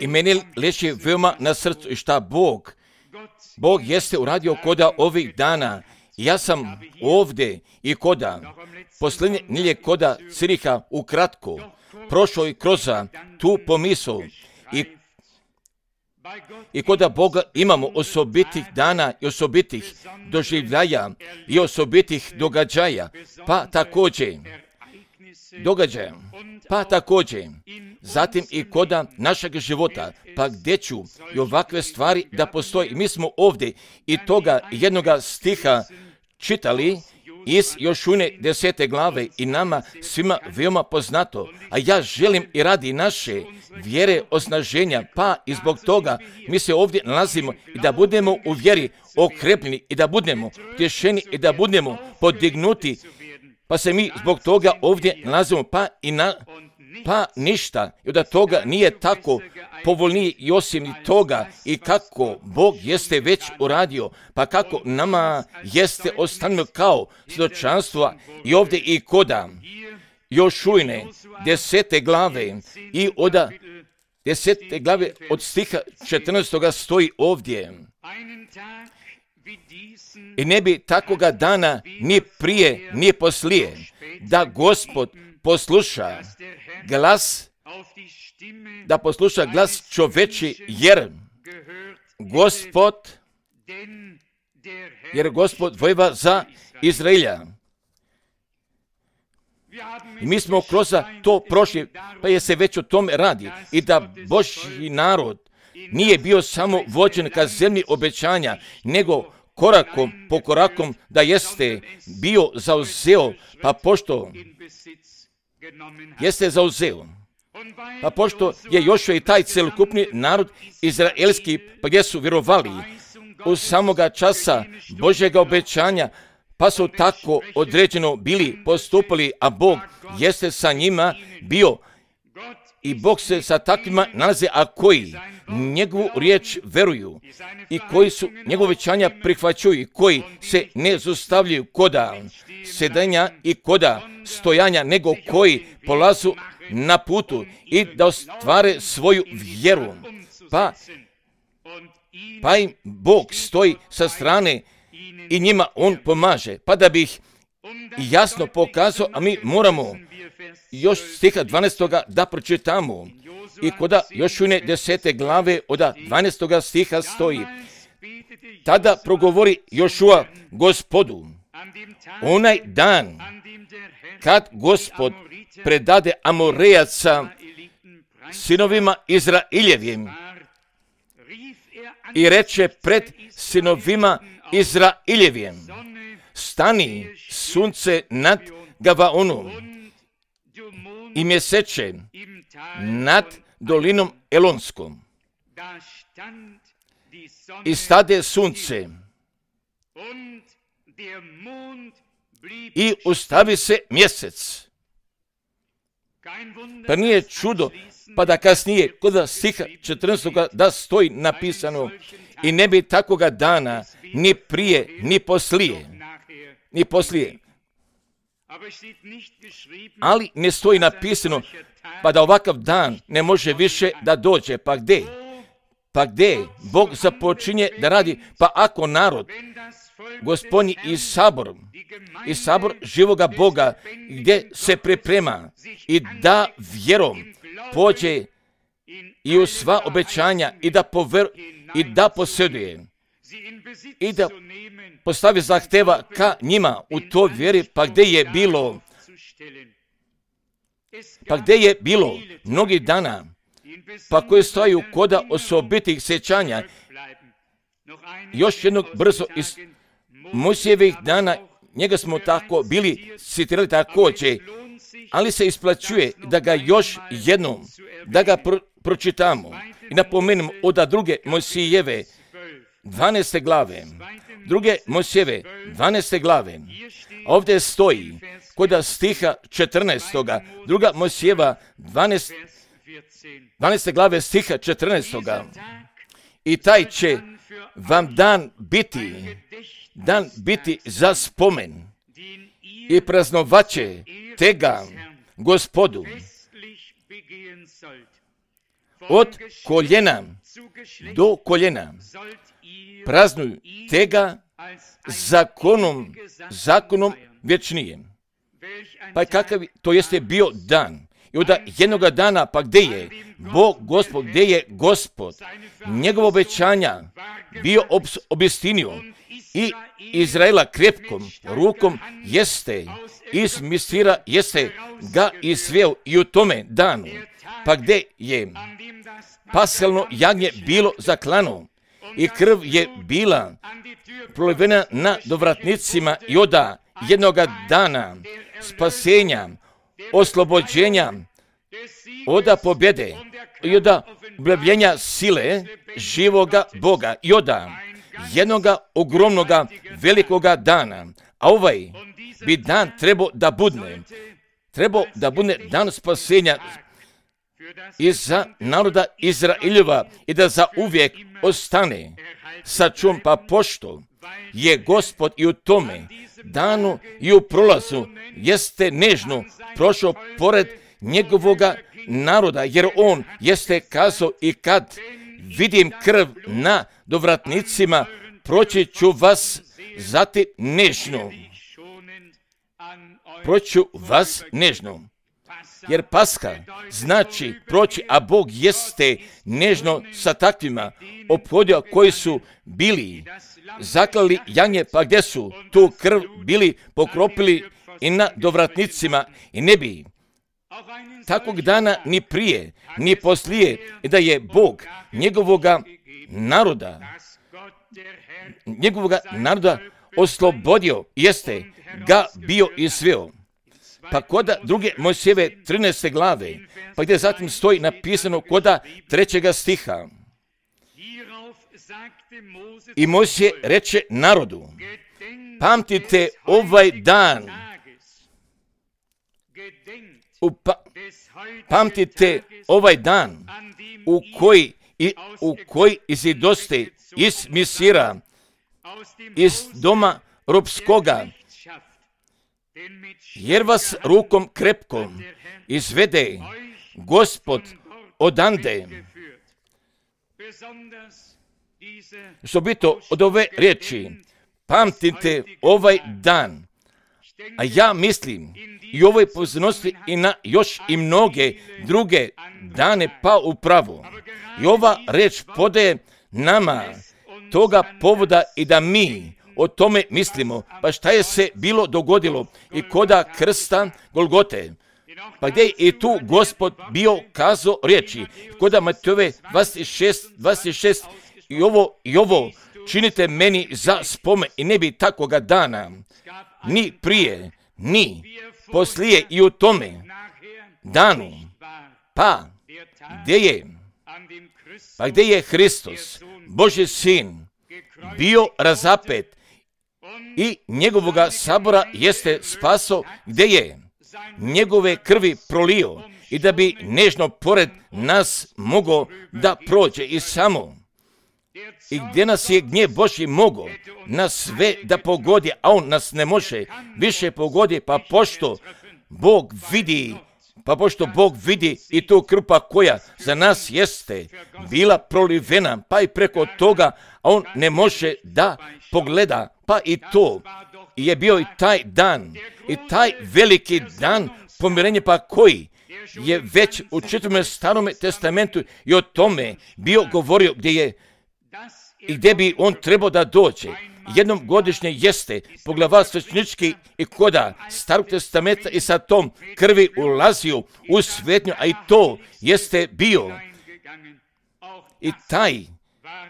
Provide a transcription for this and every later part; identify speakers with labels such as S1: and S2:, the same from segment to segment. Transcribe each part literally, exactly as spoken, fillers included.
S1: I meni leži veoma na srcu i šta Bog, Bog jeste uradio koda ovih dana. Ja sam ovdje i koda, posljednje nilje koda Ciriha ukratko, prošao i kroz tu pomisao i, i koda Boga imamo osobitih dana i osobitih doživljaja i osobitih događaja, pa također događaja, pa također zatim i koda našeg života, pa gdje ću i ovakve stvari da postoji. Mi smo ovdje i toga jednoga stiha čitali iz Jošune desete glave i nama svima veoma poznato, a ja želim i radi naše vjere osnaženja, pa i zbog toga mi se ovdje nalazimo i da budemo u vjeri okrepljeni i da budemo tješeni i da budemo podignuti, pa se mi zbog toga ovdje nalazimo, pa i na pa ništa i od toga nije tako povoljniji i osim toga i kako Bog jeste već uradio, pa kako nama jeste ostavljeno kao svjedočanstva i ovdje i koda Jošujne desete glave i od desete glave od stiha četrnaestoga stoji ovdje. I ne bi takoga dana ni prije ni poslije da Gospod posluša glas, da posluša glas čoveči, jer Gospod, jer Gospod vojeva za Izraelja. I mi smo kroz to prošli, pa je se već o tome radi. I da Božji narod nije bio samo vođen ka zemlji obećanja, nego korakom po korakom da jeste bio zauzeo, pa pošto jeste zauzeo, pa pošto je još i taj celokupni narod izraelski, pa gdje su vjerovali u samoga časa Božjega obećanja, pa su tako određeno bili postupali, a Bog jeste sa njima bio i Bog se sa takvima nalaze, a koji njegovu riječ veruju i koji su njegove obećanja prihvaćaju i koji se ne zaustavljaju koda sedenja i koda stojanja, nego koji polazu na putu i da ostvare svoju vjeru. Pa, pa im Bog stoji sa strane i njima on pomaže. Pa da bi ih jasno pokazao, a mi moramo još stiha dvanaestoga da pročitamo. I koda Jošune desete glave od dvanaestoga stiha stoji: tada progovori Jošua Gospodu, onaj dan kad Gospod predade Amorejaca sinovima Izraeljevim i reče pred sinovima Izraeljevim: stani sunce nad Gavaonom i mjeseče nad dolinom Elonskom. I stade sunce i ustavi se mjesec. Pa nije čudo, pa da kasnije kod stiha četrnaestoga da stoji napisano: i ne bi takoga dana ni prije ni poslije, ni poslije. Ali ne stoji napisano pa da ovakav dan ne može više da dođe. Pa gdje? Pa gdje Bog započinje da radi? Pa ako narod Gospodnji i sabor, i sabor živoga Boga gdje se priprema i da vjerom pođe i u sva obećanja i da pover, i da posjeduje i da postavi zahteva ka njima u to vjeri, pa gdje je bilo pa gdje je bilo mnogi dana, pa koje stojaju koda osobitih sjećanja. Još jednog brzo iz Mojsijevih dana, njega smo tako bili citirali također, ali se isplaćuje da ga još jednom, da ga pro, pročitamo i napomenemo od druge Mojsijeve dvanaeste glave, druge Mojsijeve dvanaeste glave, ovdje stoji kod stiha četrnaestoga, druga Mojsijeva dvanaeste glave stiha četrnaestoga. I taj će vam dan biti, dan biti za spomen i praznovaće tega Gospodu. od koljena do koljena praznuju tega zakonom, zakonom vječnijem. Pa kakav to jeste bio dan? I onda jednoga dana, pa gdje je Bog Gospod, gdje je Gospod? Njegovo obećanja bio obistinio i Izraela krepkom rukom jeste iz Misira, jeste ga izveo i u tome danu. Pa gdje je paselno jagnje bilo zaklano i krv je bila prolivena na dovratnicima i oda jednoga dana spasenja, oslobođenja, oda pobjede i oda objavljenja sile živoga Boga i oda jednoga ogromnoga velikoga dana. A ovaj bi dan trebao da budne, trebao da budne dan spasenja i za naroda Izraeljeva i da za uvijek ostane sačuvan, pa pošto je Gospod i u tome danu i u prolazu jeste nežno prošao pored njegovoga naroda, jer on jeste kazao i kad vidim krv na dovratnicima, proći ću vas zatim nežno. Proći ću vas nežno. Jer Paska znači proći, a Bog jeste nežno sa takvima ophodio koji su bili zaklali jagnje, pa gdje su tu krv bili pokropili i na dovratnicima i ne bi takvog dana ni prije, ni poslije, i da je Bog njegovoga naroda, njegovoga naroda oslobodio, jeste ga bio izveo. Pa koda druge Mojsijeve trinaeste glave, pa gdje zatim stoji napisano koda trećega stiha. I Mojsije reče narodu, pamtite ovaj dan, upa, pamtite ovaj dan u koji, i, u koji izidoste iz Misira, iz doma robskoga, jer vas rukom krepkom izvede Gospod odande. Osobito od ove riječi, pamtite ovaj dan, a ja mislim i ovoj pozornosti i na još i mnoge druge dane pa upravo. I ova riječ podaje nama toga povoda i da mi o tome mislimo. Pa šta je se bilo dogodilo i koda krsta Golgote? Pa gdje je i tu Gospod bio kazao riječi? Koda Matejove dvadeset šest, dvadeset šest i ovo, i ovo činite meni za spomen i ne bi takoga dana, ni prije, ni poslije i u tome danu. Pa gdje je? Pa gdje je Hristos, Božji sin, bio razapet i njegovoga sabora jeste spaso, gdje je njegove krvi prolio i da bi nežno pored nas mogao da prođe i samo. I gdje nas je gnjev Božji mogao nas sve da pogodi, a on nas ne može više pogodi, pa pošto Bog vidi, pa pošto Bog vidi i tu krpa koja za nas jeste bila prolivena, pa i preko toga, a on ne može da pogleda, pa i to je bio i taj dan, i taj veliki dan pomirenja, pa koji je već u čitavom Starom testamentu i o tome bio govorio gdje je i gdje bi on trebao da dođe. Jednom godišnje jeste poglavar svećnički i koda Starog testamenta i sa tom krvi ulazio u svetnju, a i to jeste bio i taj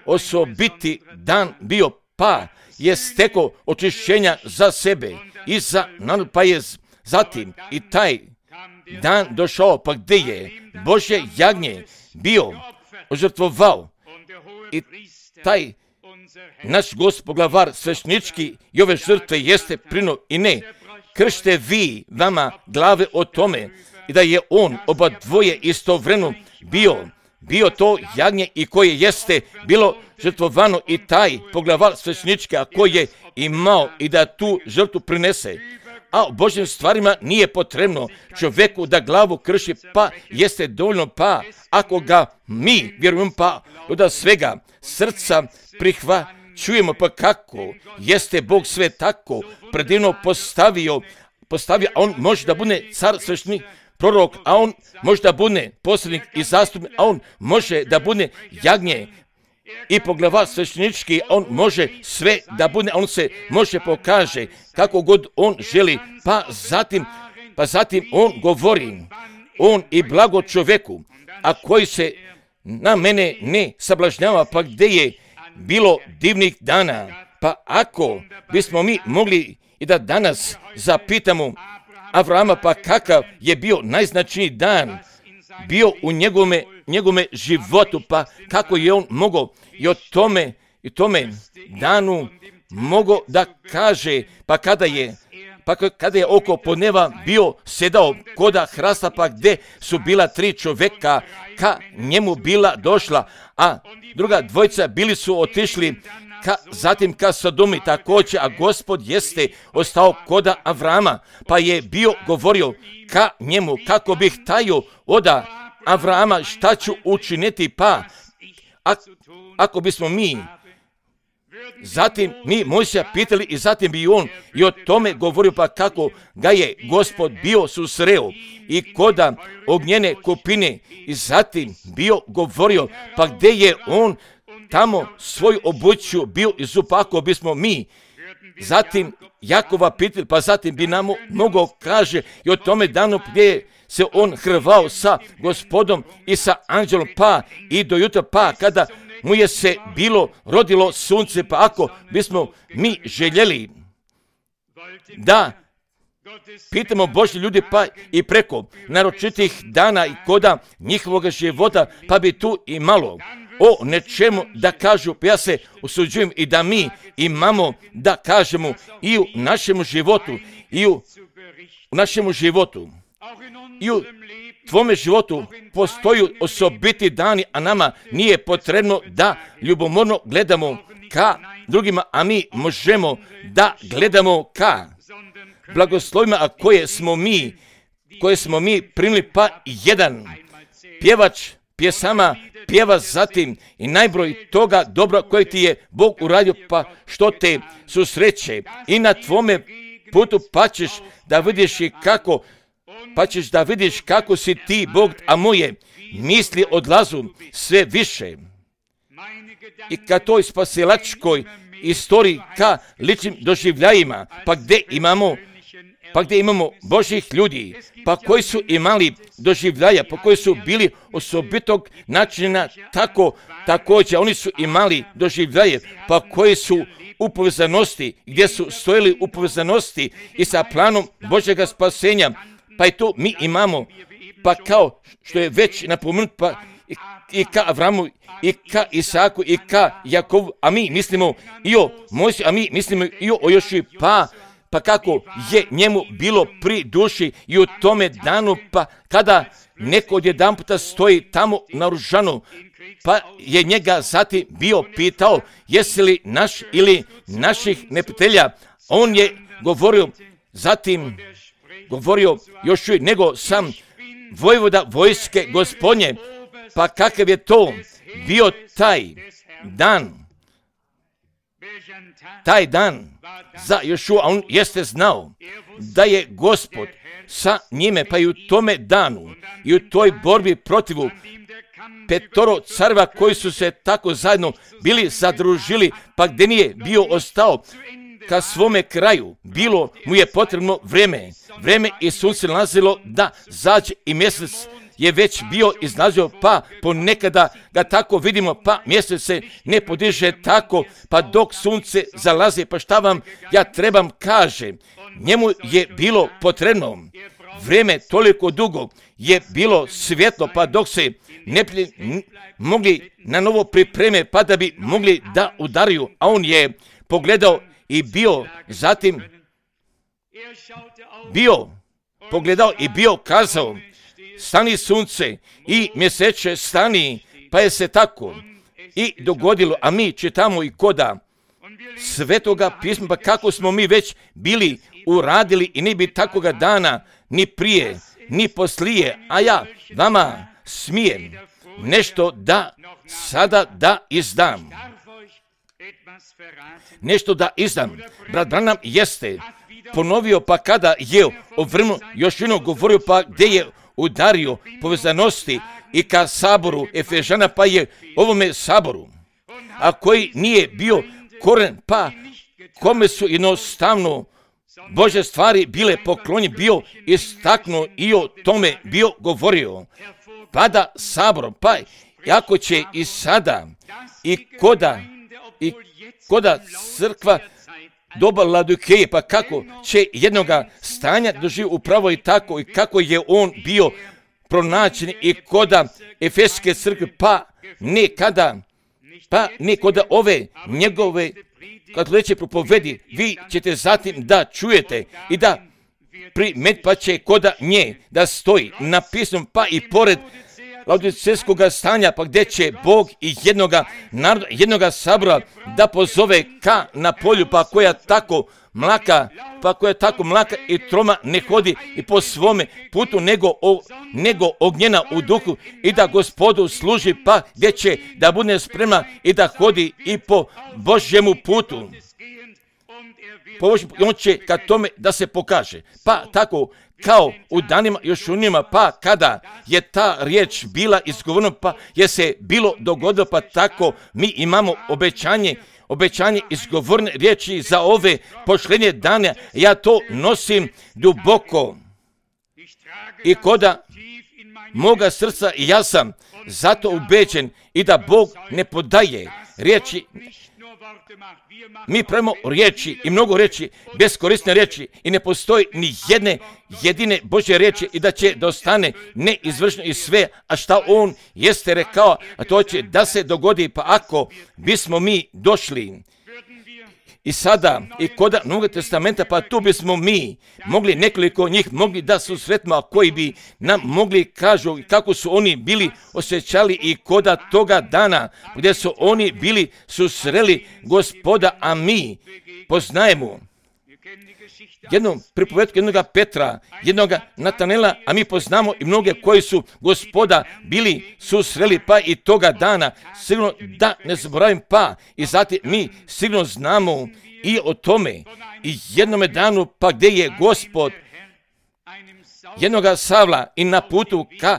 S1: osobiti dan bio, pa je stekao očišćenja za sebe i za narod, pa je zatim i taj dan došao, pa gdje je Božje jagnje bio ožrtvovao i taj naš Gospod poglavar svećnički i ove žrtve jeste prino i ne kršte vi vama glave o tome i da je on oba dvoje istovremeno bio bio to jagnje i koje jeste bilo žrtvovano i taj poglavar svećnički, a koji je imao i da tu žrtvu prinese a o Božjim stvarima nije potrebno čovjeku da glavu krši, pa jeste dovoljno, pa ako ga mi vjerujemo, pa od svega srca prihvaćujemo, pa kako jeste Bog sve tako predivno postavio, postavio, a on može da bude car, sveštenik, prorok, a on može da bude poslanik i zastupnik, a on može da bude jagnje i poglavar sveštenički, on može sve da bude, on se može pokaže kako god on želi, pa zatim, pa zatim on govori, on i blago čovjeku, a koji se na mene ne sablažnjava, pa gdje je bilo divnih dana, pa ako bismo mi mogli i da danas zapitamo Avrama, pa kakav je bio najznačajniji dan bio u njegome, njegome životu, pa kako je on mogao i o tome, i tome danu mogao da kaže, pa kada je, pa kada je oko podneva bio sedao koda hrasta, pa gdje su bila tri čovjeka, ka njemu bila došla, a druga dvojica bili su otišli ka, zatim ka Sodomi također, a Gospod jeste ostao koda Avrama, pa je bio govorio ka njemu, kako bih tajio oda Avrama šta ću učiniti, pa a, ako bismo mi zatim mi Mojsija pitali i zatim bi on i o tome govorio, pa kako ga je Gospod bio susreo i koda ognjene kupine i zatim bio govorio, pa gdje je on tamo svoju obuću bio izupao, ako bismo mi zatim Jakova pitali, pa zatim bi nam mogao kaže i o tome danu gdje se on hrvao sa Gospodom i sa anđelom, pa i do jutra, pa kada mu je se bilo rodilo sunce, pa ako bismo mi željeli da pitamo Božji ljudi, pa i preko naročitih dana i koda njihovog života, pa bi tu imalo o nečemu da kažu, pa ja se usuđujem i da mi imamo da kažemo i u našem životu, i u, u našem životu, i u tvome životu postoji osobiti dani, a nama nije potrebno da ljubomorno gledamo ka drugima, a mi možemo da gledamo ka blagoslovima, a koje smo mi, koje smo mi primili, pa jedan pjevač pjesama pjeva zatim i najbroj toga dobra kojeg ti je Bog uradio, pa što te susreće i na tvome putu, pa ćeš da vidiš i kako pa ćeš da vidiš kako si ti Bog, a moje misli odlazu sve više. I ka toj spasilačkoj istoriji, ka ličnim doživljajima, pa gdje imamo, pa gdje imamo Božih ljudi, pa koji su imali doživljaja, pa koji su bili osobitog načina, tako također oni su imali doživljaje, pa koji su u povezanosti, gdje su stojili u povezanosti i sa planom Božjega spasenja. Pa i tu mi imamo, pa kao što je već napomenut, pa i, i ka Avramu, i ka Isaku, i ka Jakovu, a mi mislimo i o Mojsiju, a mi mislimo i o Joši, pa, pa kako je njemu bilo pri duši i u tome danu, pa kada neko odjedan puta stoji tamo naoružano, pa je njega zatim bio pitao, jesi li naš ili naših neprijatelja, on je govorio zatim, govorio još nego sam vojvoda vojske Gospodnje, pa kakav je to bio taj dan, taj dan za Jošua, a on jeste znao da je Gospod sa njime, pa i u tome danu i u toj borbi protivu petoro carva koji su se tako zajedno bili zadružili, pa gdje nije bio ostao ka svome kraju, bilo mu je potrebno vreme, vreme i sunce nalazilo da zađe i mjesec je već bio izlazio, pa ponekada ga tako vidimo, pa mjesec se ne podiže tako, pa dok sunce zalazi, pa šta vam ja trebam kaže, njemu je bilo potrebno vreme toliko dugo, je bilo svjetlo, pa dok se ne mogli na novo pripreme, pa da bi mogli da udariju, a on je pogledao i bio zatim bio pogledao i bio kazao, stani sunce i mjeseče stani, pa je se tako i dogodilo, a mi čitamo i koda Svetoga pisma, pa kako smo mi već bili uradili i ne bi takoga dana ni prije, ni poslije, a ja vama smijem nešto da sada da izdam. Nešto da izdam. Brat Branham jeste ponovio, pa kada je o vremenu još jedno govorio, pa gdje je udario povezanosti i ka saboru Efežana, pa je ovome saboru, a koji nije bio koren, pa kome su jednostavno Bože stvari bile poklonje, bio istaknuo i o tome bio govorio. Pada saborom, pa ako će i sada i koda i koda crkva doba Laodikeje, pa kako će jednoga stanja doživjeti upravo i tako i kako je on bio pronađen i koda Efeske crkve, pa ne kada, pa ne koda ove njegove katoličke propovedi, vi ćete zatim da čujete i da primet, pa će koda nje da stoji napisano, pa i pored laodicejskog stanja, pa gdje će Bog i jednoga naroda, jednoga sabora da pozove ka na polju, pa koja tako mlaka, pa koja tako mlaka i troma ne hodi i po svome putu, nego, o, nego ognjena u duhu i da Gospodu služi, pa gdje će da bude spremna i da hodi i po Božjemu putu. Po Božjemu, on će ka tome da se pokaže. Pa tako kao u danima još u njima, pa kada je ta riječ bila izgovorena, pa je se bilo dogodilo, pa tako mi imamo obećanje, obećanje izgovorene riječi za ove posljednje dane. Ja to nosim duboko i koda moga srca i ja sam zato ubeđen i da Bog ne podaje riječi. Mi pravimo riječi i mnogo riječi, beskorisne riječi i ne postoji ni jedne jedine Božje riječi i da će da ostane neizvršeno i sve, a šta on jeste rekao, a to će da se dogodi, pa ako bismo mi došli i sada i kod Novog testamenta, pa tu bismo mi mogli nekoliko njih mogli da susretimo, a koji bi nam mogli kažu kako su oni bili osjećali i koda toga dana gdje su oni bili susreli Gospoda, a mi poznajemo jednu pripovetku jednoga Petra, jednoga Natanela, a mi poznamo i mnoge koji su Gospoda bili susreli, pa i toga dana, sigurno da ne zaboravim, pa i zatim mi sigurno znamo i o tome i jednome danu, pa gdje je Gospod jednoga Savla i na putu ka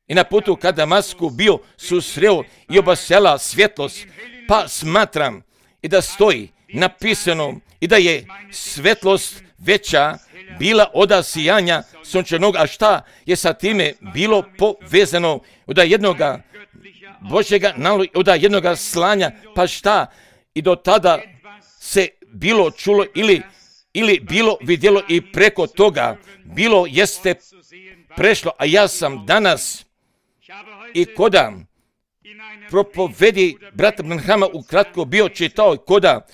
S1: i na putu ka Damasku bio susreo i obasjala svjetlost, pa smatram i da stoji napisano i da je svetlost veća bila od sijanja sunčanog, a šta je sa time bilo povezano od jednoga Božjega naloga, od jednoga slanja, pa šta i do tada se bilo čulo ili, ili bilo vidjelo i preko toga bilo jeste prešlo, a ja sam danas i koda propovedi brata Branhama ukratko bio čitao koda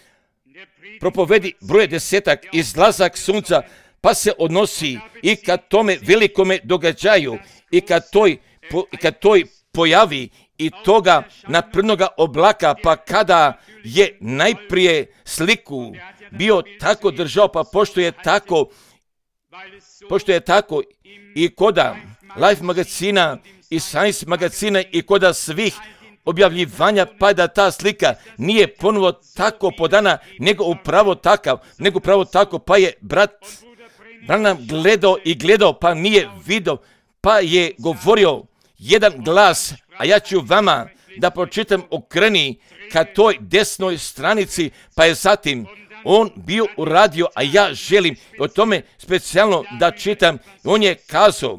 S1: propovedi broje desetak, izlazak sunca, pa se odnosi i kad tome velikome događaju i kad toj, po, i kad toj pojavi i toga naprednoga oblaka, pa kada je najprije sliku bio tako držao, pa pošto je tako, pošto je tako i koda Life magazina i Science magazina i koda svih objavljivanja, pa da ta slika nije ponovo tako podana, nego upravo takav, nego upravo tako, pa je brat Branham gledao i gledao, pa nije vidio, pa je govorio jedan glas, a ja ću vama da pročitam, okreni ka toj desnoj stranici, pa je zatim on bio uradio, a ja želim o tome specijalno da čitam. On je kazao,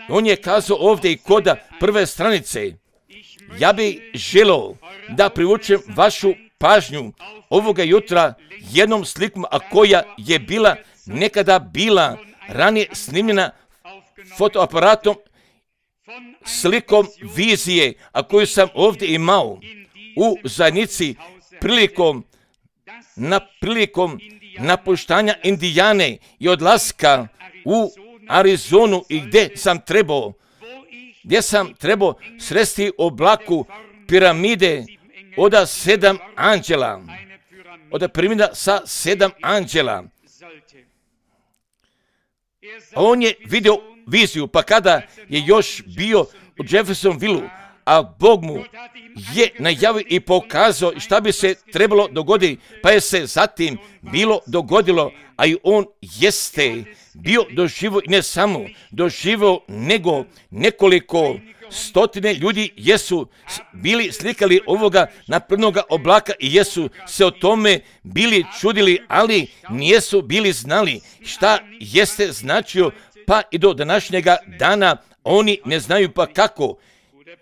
S1: on je kazao ovdje i kod prve stranice, ja bih želio da privučem vašu pažnju ovoga jutra jednom slikom, a koja je bila nekada bila ranije snimljena fotoaparatom, slikom vizije, a koju sam ovdje imao u zajednici prilikom, na prilikom napuštanja Indijane i odlaska u Arizonu i gdje sam trebao, gdje sam trebao sresti oblaku piramide od sedam anđela, od piramida sa sedam anđela, On je vidio viziju, pa kada je još bio u Jeffersonvilleu, a Bog mu je najavio i pokazao šta bi se trebalo dogoditi, pa je se zatim bilo dogodilo, a i on jeste bio doživio, ne samo doživio, nego nekoliko stotine ljudi jesu bili slikali ovoga naprednoga oblaka i jesu se o tome bili čudili, ali nijesu bili znali šta jeste značio, pa i do današnjega dana oni ne znaju pa kako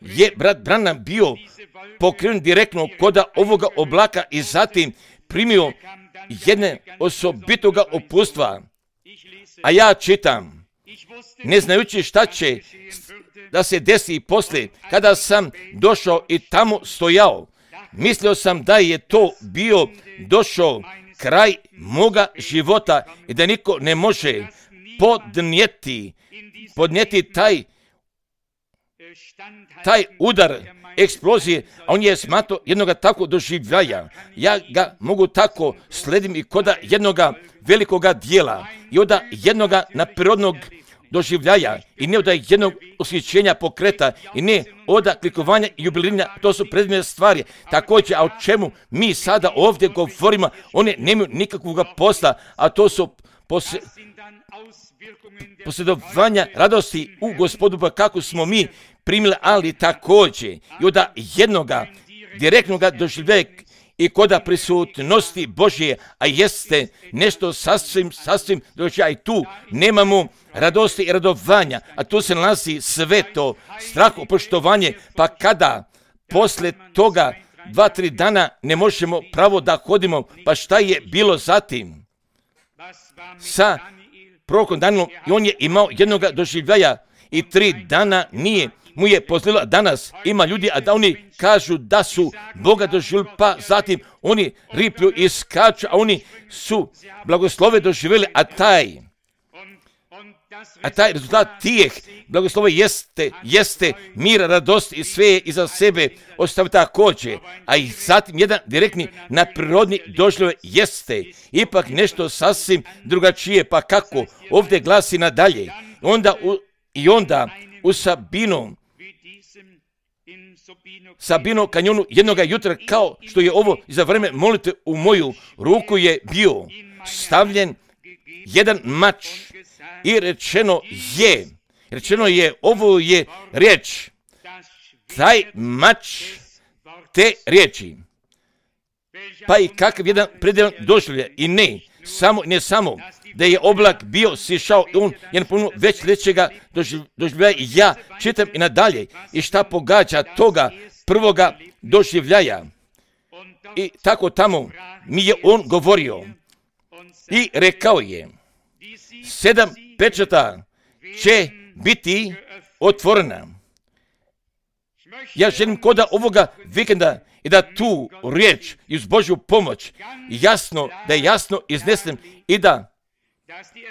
S1: je brat Branham bio pokrenut direktno kod ovoga oblaka i zatim primio jedne osobitoga upustva. A ja čitam, ne znajući šta će da se desi poslije, kada sam došao i tamo stojao, mislio sam da je to bio došao kraj moga života i da niko ne može podnijeti, podnijeti taj, taj udar eksplozije, a on je smatrao jednoga tako doživljaja. Ja ga mogu tako sledim i koda jednoga velikoga dijela i od jednoga naprirodnog doživljaja i ne od jednog osjećenja pokreta i ne od klikovanja i jubiliranja, to su predmene stvari. Također, a o čemu mi sada ovdje govorimo, one nemaju nikakvog posla, a to su posle, posjedovanja radosti u Gospodu, pa kako smo mi primili, ali također i od jednoga direktnoga doživljaja i koda prisutnosti Božje, a jeste nešto sasvim, sasvim drugačije. I tu nemamo radosti i radovanja, a tu se nalazi sve to, strah, poštovanje, pa kada posle toga dva, tri dana ne možemo pravo da hodimo, pa šta je bilo zatim sa prorokom Danielom? I on je imao jednoga doživljaja i tri dana nije mu je pozlilo. Danas ima ljudi, a da oni kažu da su Boga doživjeli, pa zatim oni riplju i skaču, a oni su blagoslove doživjeli, a taj a taj rezultat tijeh blagoslove jeste, jeste mir, radost i sve je iza sebe ostavi također, a i zatim jedan direktni naprirodni doživljaj jeste ipak nešto sasvim drugačije, pa kako ovdje glasi nadalje, onda u, i onda u Sabinom Sabino kanjonu jednoga jutra, kao što je ovo za vreme molite, u moju ruku je bio stavljen jedan mač i rečeno je, rečeno je, ovo je riječ, taj mač te riječi, pa i kakav jedan predjelan doživljaj, i ne samo, ne samo da je oblak bio sišao i on je napuno već većega doživljaja. Ja čitam i nadalje i šta pogađa toga prvoga doživljaja. I tako tamo mi je on govorio i rekao je, sedam pečata će biti otvorena. Ja želim koda ovoga vikenda i da tu riječ i uz Božju pomoć jasno, da je jasno iznesem i da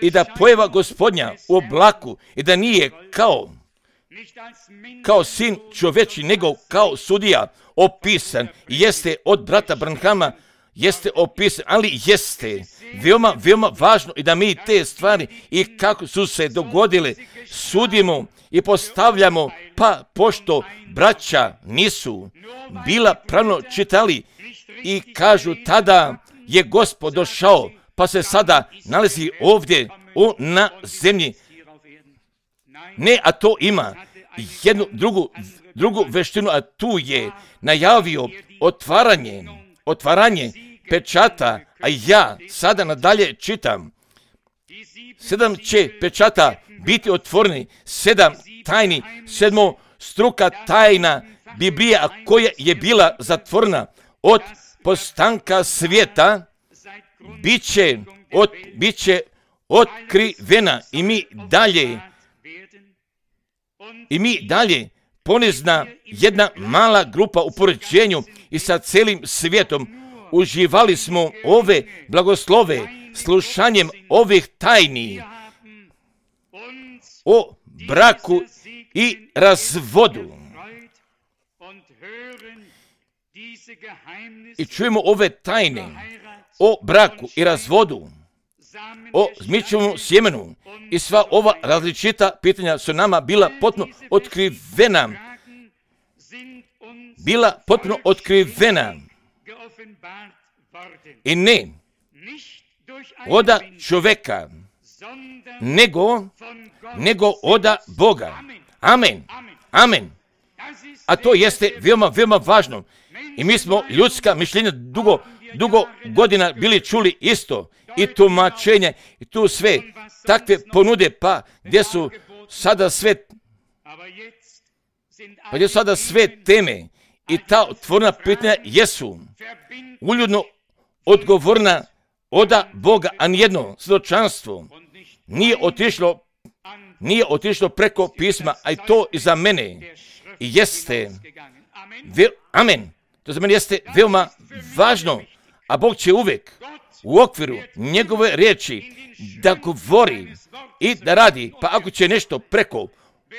S1: i da pojava Gospodnja u oblaku i da nije kao kao sin čovječi, nego kao sudija opisan, jeste od brata Branhama, jeste opisan, ali jeste veoma, veoma važno i da mi te stvari i kako su se dogodile sudimo i postavljamo, pa pošto braća nisu bila pravno čitali i kažu tada je Gospod došao, pa se sada nalazi ovdje o, na zemlji. Ne, a to ima jednu drugu, drugu veštinu, a tu je najavio otvaranje, otvaranje pečata, a ja sada nadalje čitam. Sedam će pečata biti otvoreni, sedam tajni, sedmo struka tajna Biblija, koja je bila zatvorena od postanka svijeta, bit će, od, bit će otkrivena i mi dalje, i mi dalje ponizna jedna mala grupa u poređenju i sa celim svijetom uživali smo ove blagoslove slušanjem ovih tajni o braku i razvodu. I čujemo ove tajne o braku i razvodu o zmičevom sjemenu i sva ova različita pitanja su nama bila potpuno otkrivena. Bila potpuno otkrivena. I ne oda čovjeka, nego, nego oda Boga. Amen. Amen. A to jeste veoma, veoma važno. I mi smo ljudska mišljenja dugo, dugo godina bili čuli isto. I tumačenje, i tu sve takve ponude, pa gdje su sada sve, pa gdje su sada sve teme i ta otvorena pitanja jesu uljudno odgovorna oda Boga, a nijedno svjedočanstvo nije otišlo, nije otišlo preko pisma, a i to i za mene jeste, ve, amen, to za mene jeste veoma važno, a Bog će uvijek u okviru njegove riječi da govori i da radi, pa ako će nešto preko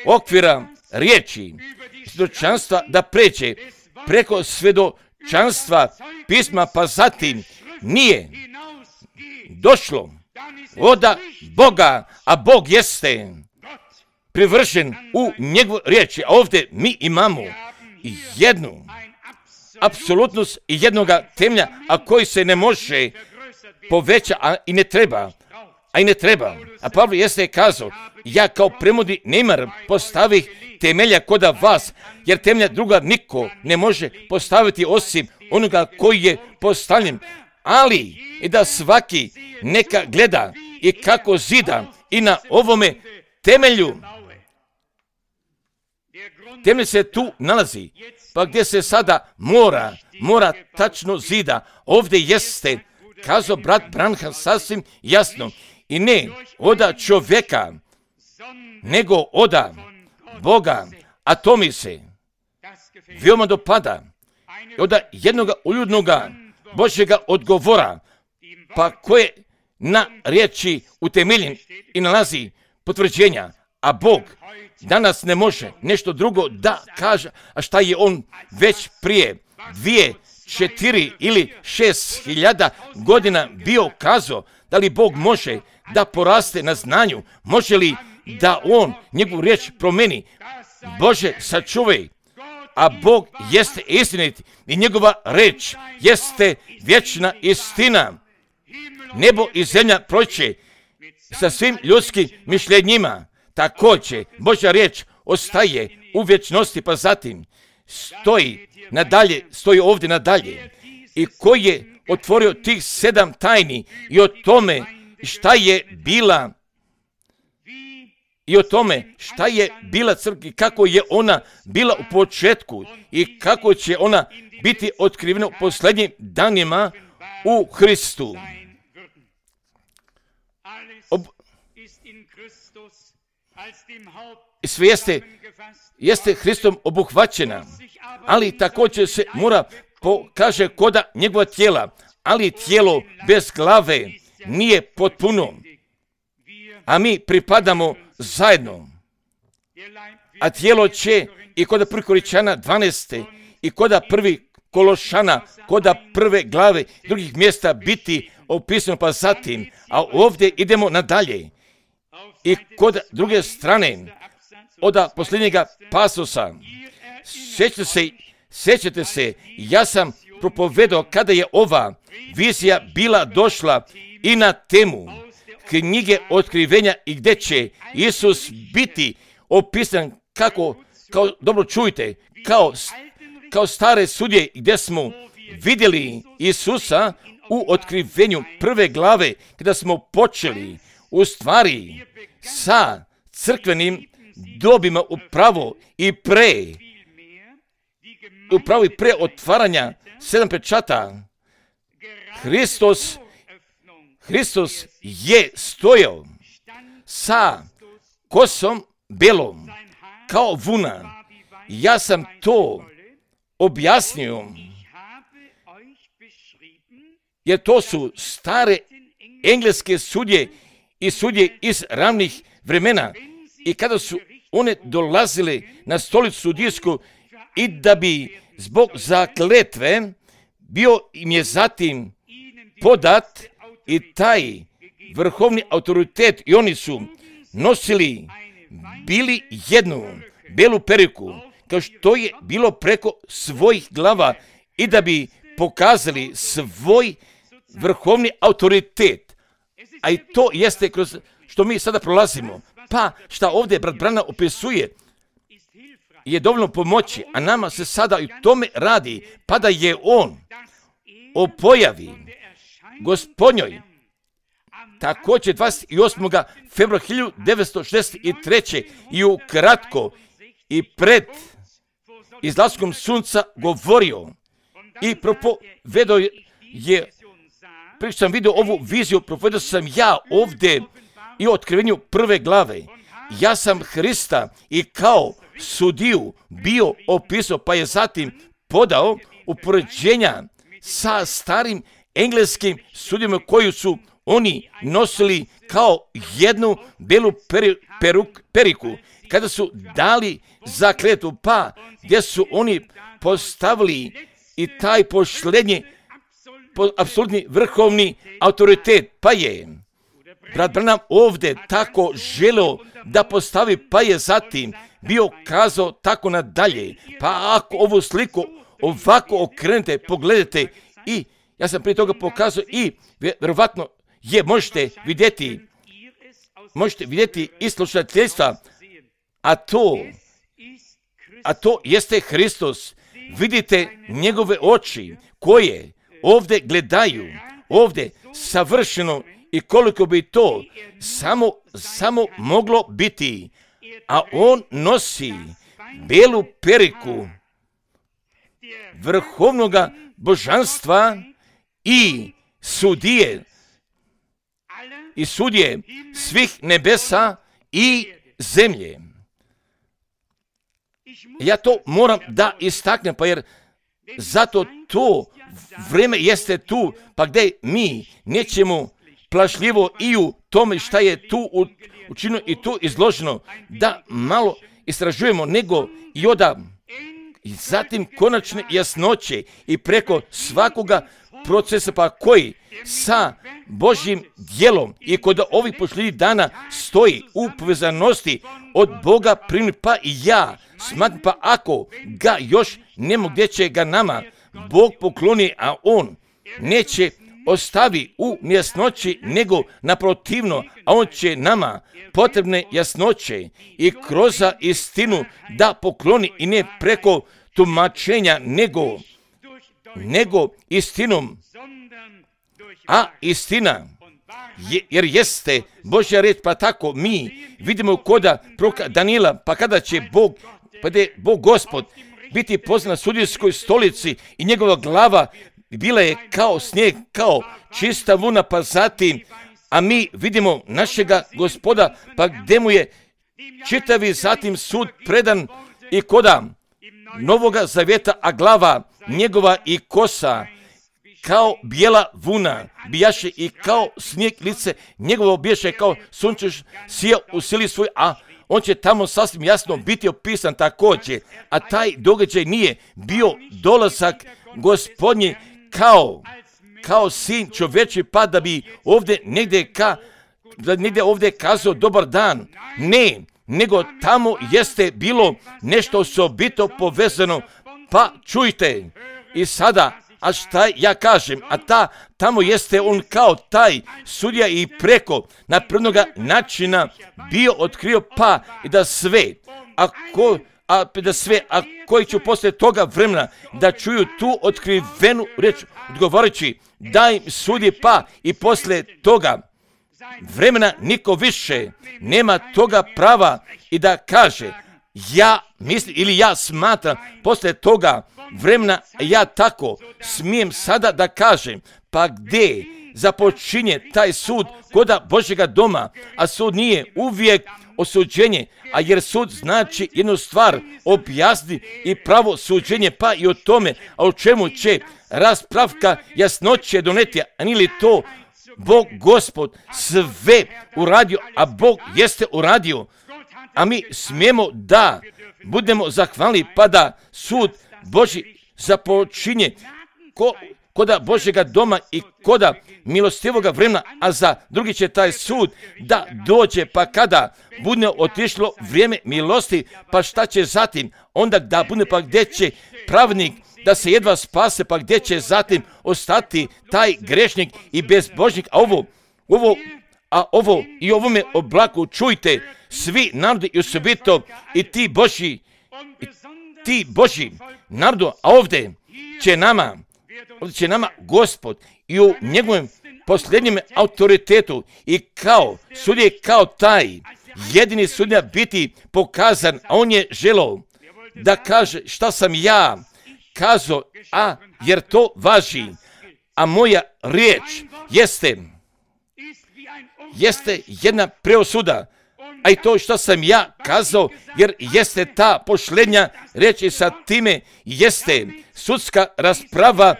S1: okvira riječi svjedočanstva da pređe preko svjedočanstva pisma, pa zatim nije došlo oda Boga, a Bog jeste privršen u njegovoj riječi, a ovdje mi imamo jednu apsolutnost i jednoga temelja, a koji se ne može poveća, a i ne treba, a i ne treba. A Pavle jeste kazao, ja kao premudri nemar postavih temelja koda vas, jer temelja druga niko ne može postaviti osim onoga koji je postavljen. Ali i da svaki neka gleda i kako zida i na ovome temelju. Temelj se tu nalazi, pa gdje se sada mora, mora tačno zida. Ovdje jeste, kazao brat Branham sasvim jasno, i ne oda čovjeka, nego oda Boga, a to mi se veoma dopada. Oda jednoga uljudnoga Božjega odgovora, pa koje na riječi utemeljen i nalazi potvrđenja, a Bog danas ne može nešto drugo da kaže, a šta je on već prije dvije, četiri ili šest hiljada godina bio kazao, da li Bog može da poraste na znanju, može li da on njegovu riječ promeni. Bože, sačuvaj, a Bog jeste istinit i njegova riječ jeste vječna istina. Nebo i zemlja proće sa svim ljudskim mišljenjima, također Božja riječ ostaje u vječnosti, pa zatim stoji nadalje, stoji ovdje nadalje. I koji je otvorio tih sedam tajni i o tome šta je bila i o tome šta je bila crkva, kako je ona bila u početku i kako će ona biti otkrivena u posljednjim danima u Hristu. Ob... Sve jeste, jeste Hristom obuhvaćena, ali također se mora pokaže koda njegova tijela, ali tijelo bez glave nije potpuno, a mi pripadamo zajedno. A tijelo će i koda prvi Koričana dvanaeste i koda prvi Kološana, koda prve glave drugih mjesta biti opisano, pa zatim, a ovdje idemo nadalje. I kod druge strane, od posljednjega pasosa, sjećate se, sjećate se, ja sam propovedao kada je ova vizija bila došla i na temu knjige otkrivenja i gdje će Isus biti opisan kako, kao, dobro čujte, kao, kao stare sudje gdje smo vidjeli Isusa u otkrivenju prve glave kada smo počeli u stvari sa crkvenim dobima upravo i pre, upravo i pre otvaranja sedam pečata. Hristos, Hristos je stojao sa kosom belom kao vuna. Ja sam to objasnio, jer to su stare engleske sudje i sudje iz ravnih vremena. I kada su one dolazile na stolicu sudijsku i da bi zbog zakletve bio im je zatim podat i taj vrhovni autoritet i oni su nosili, bili jednu belu periku, kao što je bilo preko svojih glava i da bi pokazali svoj vrhovni autoritet. A i to jeste kroz što mi sada prolazimo. Pa šta ovdje brat Branham opisuje je dovoljno pomoći, a nama se sada i tome radi, pa da je on o pojavi Gospodnjoj također dvadeset osmog februara hiljadu devetsto šezdeset treće i ukratko i pred izlaskom sunca govorio i propovedao je, prije sam vidio ovu viziju, propovedao sam ja ovdje i o otkrivenju prve glave. Ja sam Hrista i kao sudiju bio opisao, pa je zatim podao upoređenja sa starim engleskim sudijama koju su oni nosili kao jednu belu peri, peruk, periku, kada su dali zakletvu, pa gdje su oni postavili i taj posljednji, po, apsolutni vrhovni autoritet, pa je brat Branham ovdje tako želeo da postavi, pa je zatim bio kazao tako nadalje. Pa ako ovu sliku ovako okrenete, pogledajte, i ja sam prije toga pokazao i vjerovatno je možete vidjeti, možete vidjeti i slušateljstva, a to, a to jeste Hristos. Vidite njegove oči koje ovdje gledaju, ovdje savršeno, i koliko bi to samo, samo moglo biti, a on nosi belu periku vrhovnoga božanstva i sudije, i sudije svih nebesa i zemlje. Ja to moram da istaknem, pa jer zato to vrijeme jeste tu, pa gdje mi nećemo plašljivo i u tome šta je tu učinjeno i tu izloženo, da malo istražujemo, nego i oda i zatim konačne jasnoće i preko svakoga procesa, pa koji sa Božjim djelom i kod ovih posljednjih dana stoji u povezanosti od Boga primi, pa i ja smatram, pa ako ga još nemo gdje će ga nama Bog pokloni, a on neće ostavi u nejasnoći, nego naprotivno, a on će nama potrebne jasnoće i kroz istinu da pokloni, i ne preko tumačenja, nego, nego istinom. A istina, je, jer jeste Božja reč, pa tako mi vidimo koda proroka Danila, pa kada će Bog, pa da je Bog Gospod biti poznan na sudijskoj stolici i njegova glava bila je kao snijeg, kao čista vuna, pa zatim, a mi vidimo našega Gospoda, pa gdje mu je čitavi zatim sud predan i koda Novoga Zavjeta, a glava njegova i kosa kao bijela vuna bijaše i kao snijeg lice njegovo bijaše kao sunce sija u sili svoj, a on će tamo sasvim jasno biti opisan također, a taj događaj nije bio dolazak Gospodnji kao, kao sin čovječi, pa da bi ovdje negdje, ka, da negdje ovdje kazao dobar dan. Ne, nego tamo jeste bilo nešto osobito povezano, pa čujte i sada, a šta ja kažem, a ta, tamo jeste on kao taj sudija i preko napravnoga načina bio otkrio, pa i da sve, ako, a da sve, a koji će poslije toga vremena da čuju tu otkrivenu reč, odgovarajući da im sudi, pa i poslije toga vremena niko više nema toga prava i da kaže ja mislim ili ja smatram, poslije toga vremena ja tako smijem sada da kažem, pa gdje započinje taj sud koda Božjega doma, a sud nije uvijek osuđenje, a jer sud znači jednu stvar objasni i pravo suđenje, pa i o tome, a o čemu će raspravka jasnoće doneti, a nije li to Bog Gospod sve uradio, a Bog jeste uradio, a mi smijemo da budemo zahvalni, pa da sud Božji započinje ko, koda Božjega doma i koda milostivoga vremena, a za drugi će taj sud da dođe, pa kada bude otišlo vrijeme milosti, pa šta će zatim? Onda da bude, pa gdje će pravnik da se jedva spase, pa gdje će zatim ostati taj grešnik i bezbožnik? A ovo, ovo, a ovo i ovome oblaku čujte svi narodi i osobito i ti Božji, i ti Božji narodu, a ovdje će nama, ovdje će nama Gospod i u njegovom posljednjem autoritetu i kao sudje, kao taj jedini sudja biti pokazan, a on je želeo da kaže šta sam ja kazao, a jer to važi, a moja riječ jeste, jeste jedna preosuda, a i to što sam ja kazao, jer jeste ta posljednja riječ i sa time jeste sudska rasprava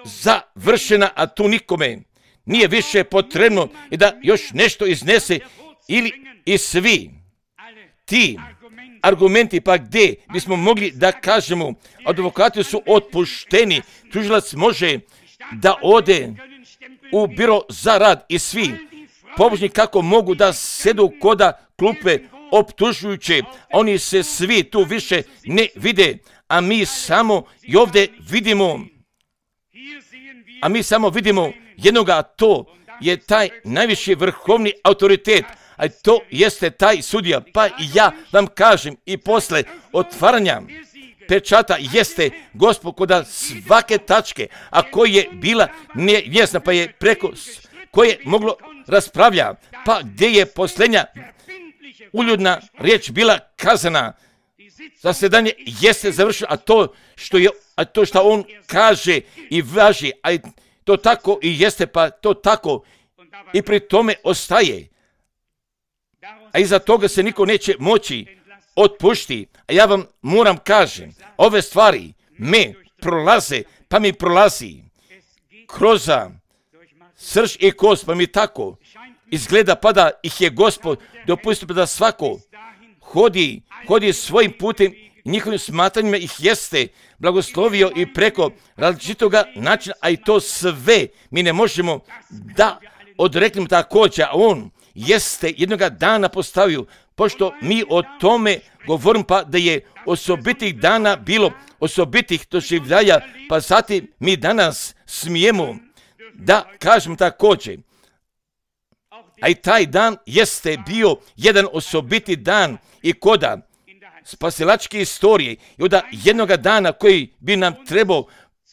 S1: završena, a tu nikome nije više potrebno i da još nešto iznese ili i svi ti argumenti, pa gdje bismo mogli da kažemo advokati su otpušteni, tužilac može da ode u biro za rad i svi pobožni kako mogu da sedu koda klupe optužujuće, oni se svi tu više ne vide, a mi samo i ovdje vidimo, a mi samo vidimo jednoga, a to je taj najviši vrhovni autoritet, a to jeste taj sudija. Pa i ja vam kažem i posle otvaranja pečata jeste Gospod koda svake tačke, a koja je bila nevjesna, pa je preko koje je moglo raspravlja, pa gdje je posljednja uljudna riječ bila kazana, zasedanje jeste završeno, a to što je, a to što on kaže i važi, a to tako i jeste, pa to tako i pri tome ostaje. A iza toga se niko neće moći otpušti. A ja vam moram kažem, ove stvari me prolaze, pa mi prolazi kroz srž i kost, pa mi tako izgleda, pa da ih je Gospod dopustio da svako hodi, hodi svojim putem, njihovim smatranjima ih jeste blagoslovio i preko različitoga načina, a i to sve mi ne možemo da odreknemo također, a on jeste jednoga dana postavio, pošto mi o tome govorim, pa da je osobitih dana bilo, osobitih doživljaja, pa zatim mi danas smijemo da kažem također. A i taj dan jeste bio jedan osobiti dan i koda spasilačke istorije i od jednoga dana koji bi nam trebao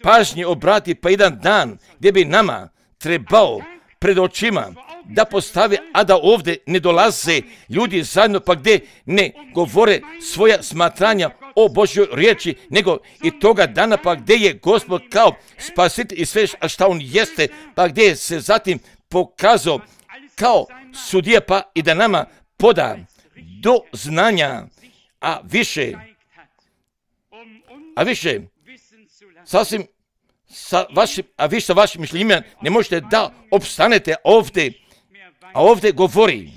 S1: pažnje obratiti, pa jedan dan gdje bi nama trebao pred očima da postave, a da ovdje ne dolaze ljudi zajedno, pa gdje ne govore svoja smatranja o Božjoj riječi, nego i toga dana, pa gdje je Gospod kao spasitelj i sve a šta on jeste, pa gdje se zatim pokazao kao sudija, pa i da nama poda do znanja, a više, a više, sasvim sa vašim, a vi sa vašim mišljenjima ne možete da opstanete ovdje, a ovdje govori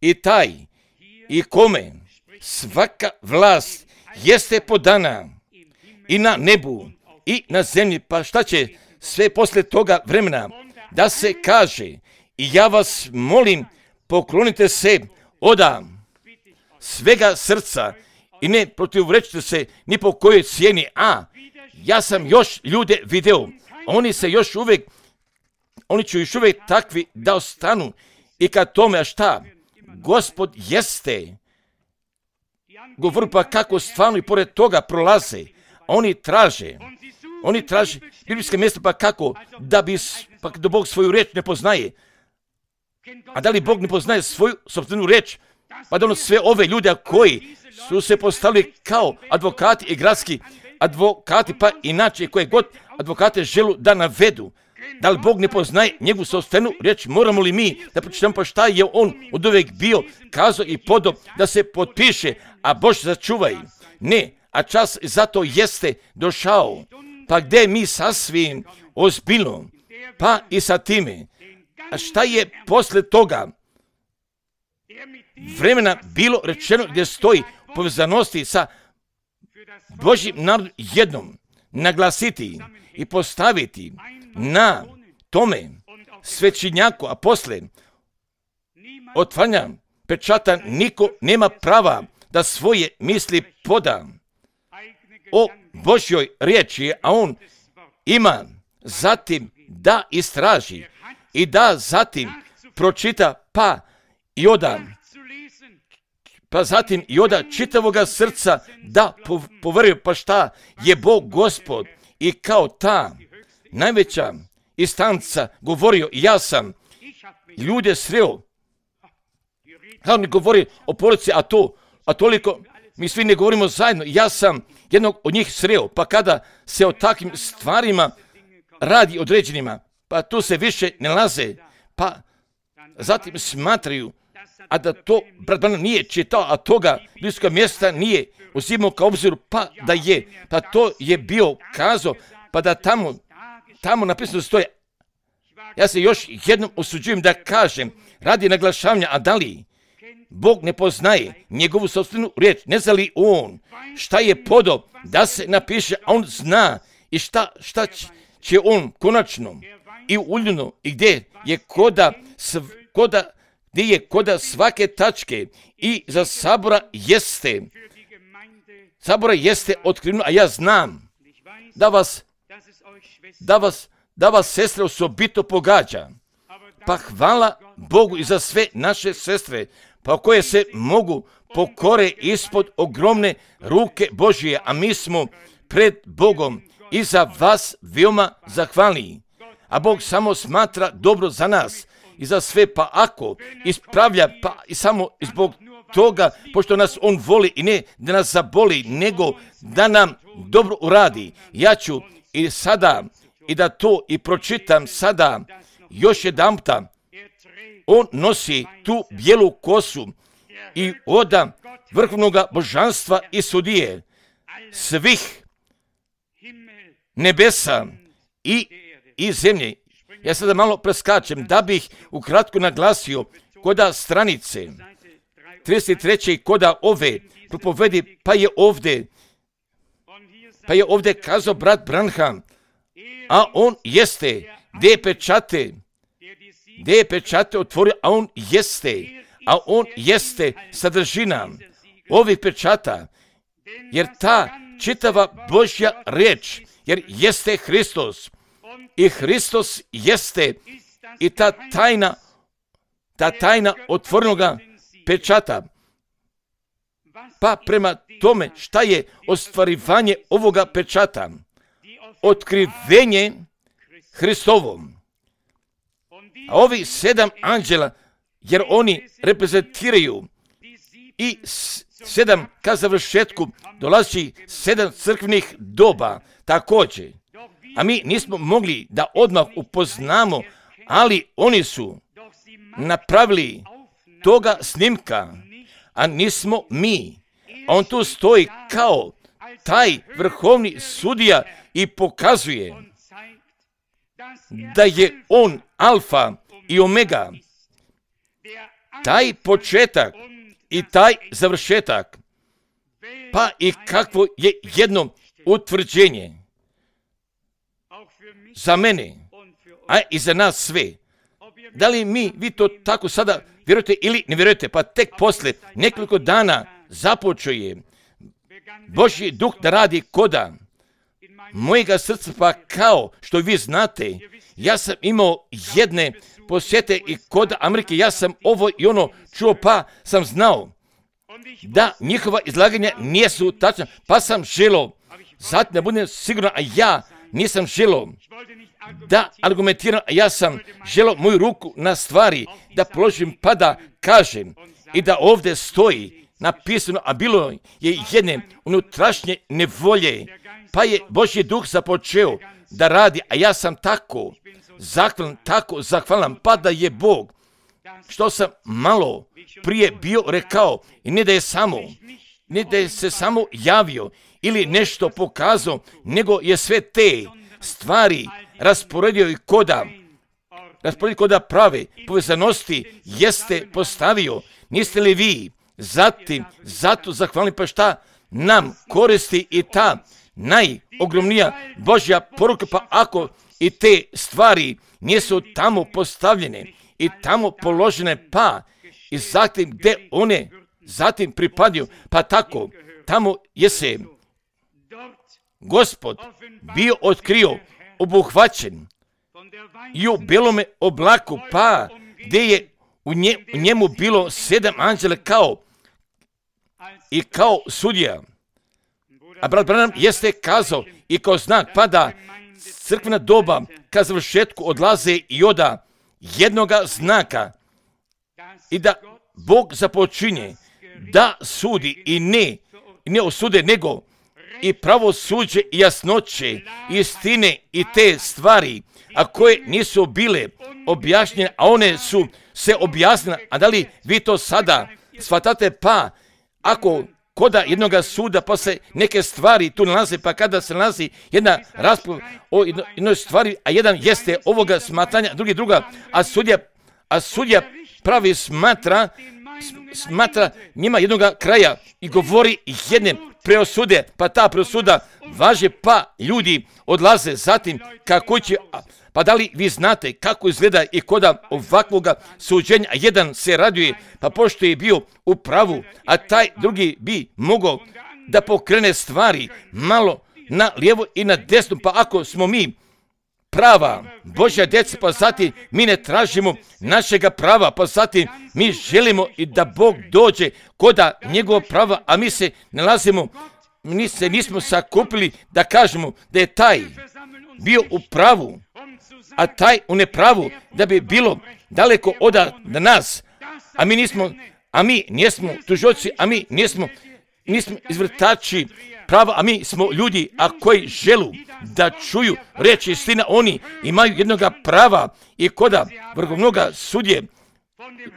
S1: i taj i kome svaka vlast jeste podana i na nebu i na zemlji, pa šta će sve posle toga vremena da se kaže i ja vas molim poklonite se oda svega srca i ne protivrečite se ni po kojoj cijeni, a ja sam još ljude video, oni se još uvijek, oni će još uvijek takvi da ostanu i kad tome, a šta? Gospod jeste, govori pa kako stvarno i pored toga prolaze, oni traže, oni traže biblijske mjesta, pa kako, da bi, pa da Bog svoju riječ ne poznaje, a da li Bog ne poznaje svoju sopstvenu riječ, pa da ono sve ove ljude koji su se postavili kao advokati i gradski advokati, pa inače koje god advokate želu da navedu, da li Bog ne poznaje njegovu sopstvenu riječ, moramo li mi da pročitamo pa šta je on od uvijek bio kazao i podo da se potpiše, a Bože začuvaj, ne, a čas zato jeste došao, pa gdje mi sasvim ozbiljno, pa i sa time, a šta je posle toga vremena bilo rečeno gdje stoji povezanosti sa Božjim narodom jednom, naglasiti i postaviti na tome svećenjaku, a posle otvaranja pečata niko nema prava da svoje misli poda o Božjoj riječi, a on ima zatim da istraži i da zatim pročita, pa i oda, pa zatim i oda čitavoga srca da poveruje, pa šta je Bog Gospod i kao ta najveća instanca govorio, ja sam ljude sreo, kao ne govori o porodici, a to, a toliko, mi svi ne govorimo zajedno, ja sam jednog od njih sreo, pa kada se o takvim stvarima radi određenima, pa tu se više ne laze, pa zatim smatraju, a da to brat Branham nije čitao, a toga bliskog mjesta nije uzimao kao obziru, pa da je, pa to je bio kazao, pa da tamo, tamo napisano stoje. Ja se još jednom usuđujem da kažem, radi naglašavanja, a da li Bog ne poznaje njegovu sopstvenu riječ, ne zna li on šta je podao da se napiše, a on zna i šta, šta će on konačno i uljeno i gdje je koda, koda, gdje je koda svake tačke i za sabora jeste, sabora jeste otkriveno, a ja znam da vas, da vas, da vas sestre osobito pogađa. Pa hvala Bogu i za sve naše sestre, pa koje se mogu pokore ispod ogromne ruke Božije, a mi smo pred Bogom i za vas veoma zahvalni. A Bog samo smatra dobro za nas i za sve, pa ako ispravlja, pa i samo zbog toga, pošto nas On voli i ne da nas zaboli, nego da nam dobro uradi. Ja ću i sada i da to i pročitam sada još jedanputa. On nosi tu bijelu kosu i oda vrhovnoga božanstva i sudije svih nebesa i, i zemlje. Ja sada malo preskačem da bih ukratko naglasio koda stranice trideset treće koda ove propovedi, pa je ovdje pa je ovdje kazao brat Branham, a on jeste gdje je pečate gdje je pečate otvorio, a on jeste, a on jeste sadržina ovih pečata, jer ta čitava Božja riječ, jer jeste Hristos i Hristos jeste i ta tajna, ta tajna otvorenoga pečata. Pa prema tome šta je ostvarivanje ovoga pečata? Otkrivenje Hristovom. A ovi sedam anđela, jer oni reprezentiraju i sedam ka završetku dolazi sedam crkvenih doba također. A mi nismo mogli da odmah upoznamo, ali oni su napravili toga snimka, a nismo mi. A on tu stoji kao taj vrhovni sudija i pokazuje da je on alfa i omega, taj početak i taj završetak, pa i kakvo je jedno utvrđenje za mene, a i za nas sve. Da li mi, vi to tako sada vjerujete ili ne vjerujete, pa tek posle nekoliko dana započuje Božji duh da radi koda mojega srca, pa kao što vi znate, ja sam imao jedne posjete i kod Amerike, ja sam ovo i ono čuo, pa sam znao da njihova izlaganja nisu tačna, pa sam želio, zatim da budem siguran, a ja nisam želio da argumentiram, a ja sam želio moju ruku na stvari da položim, pa da kažem i da ovdje stoji napisano, a bilo je jedne unutrašnje nevolje, pa je Božji duh započeo da radi, a ja sam tako zahvalan, tako zahvalan, pa da je Bog, što sam malo prije bio rekao, i ne da je samo, ne da je se samo javio ili nešto pokazao, nego je sve te stvari rasporedio i koda, rasporedio koda prave povezanosti jeste postavio. Niste li vi zatim, zato zahvalni, pa šta nam koristi i ta najogromnija Božja poruka, pa ako i te stvari nisu tamo postavljene i tamo položene, pa i zatim gdje one zatim pripadaju, pa tako tamo je se Gospod bio otkrio, obuhvaćen i u belome oblaku, pa gdje je u, nje, u njemu bilo sedam anđela kao i kao sudija. A brat Branham jeste kazao i kao znak, pa da crkvena doba ka završetku odlaze i oda jednoga znaka i da Bog započinje da sudi i ne, ne osude, nego i pravosuđe i jasnoće, istine i te stvari, a koje nisu bile objašnjene, a one su se objasnile. A da li vi to sada shvatate? Pa ako koda jednoga suda, pa se neke stvari tu nalaze, pa kada se nalazi jedna rasprava o jednoj stvari, a jedan jeste ovoga smatranja, drugi druga, a sudija, a sudija pravi smatra, smatra njima jednoga kraja i govori jedne preosude, pa ta preosuda važe, pa ljudi odlaze zatim kako će, pa da li vi znate kako izgleda i koda ovakvoga suđenja, a jedan se raduje, pa pošto je bio u pravu, a taj drugi bi mogao da pokrene stvari malo na lijevo i na desno, pa ako smo mi prava Božja djeca, pa zatim mi ne tražimo našega prava, pa zatim mi želimo i da Bog dođe koda njegova prava, a mi se nalazimo, mi se nismo sakupili da kažemo da je taj bio u pravu, a taj u nepravu, da bi bilo daleko od nas, a mi nismo, a mi nismo tužioci, a mi nismo, nismo izvrtači prava, a mi smo ljudi, a koji želu da čuju reći istina, oni imaju jednoga prava i koda vrhovnoga sudje,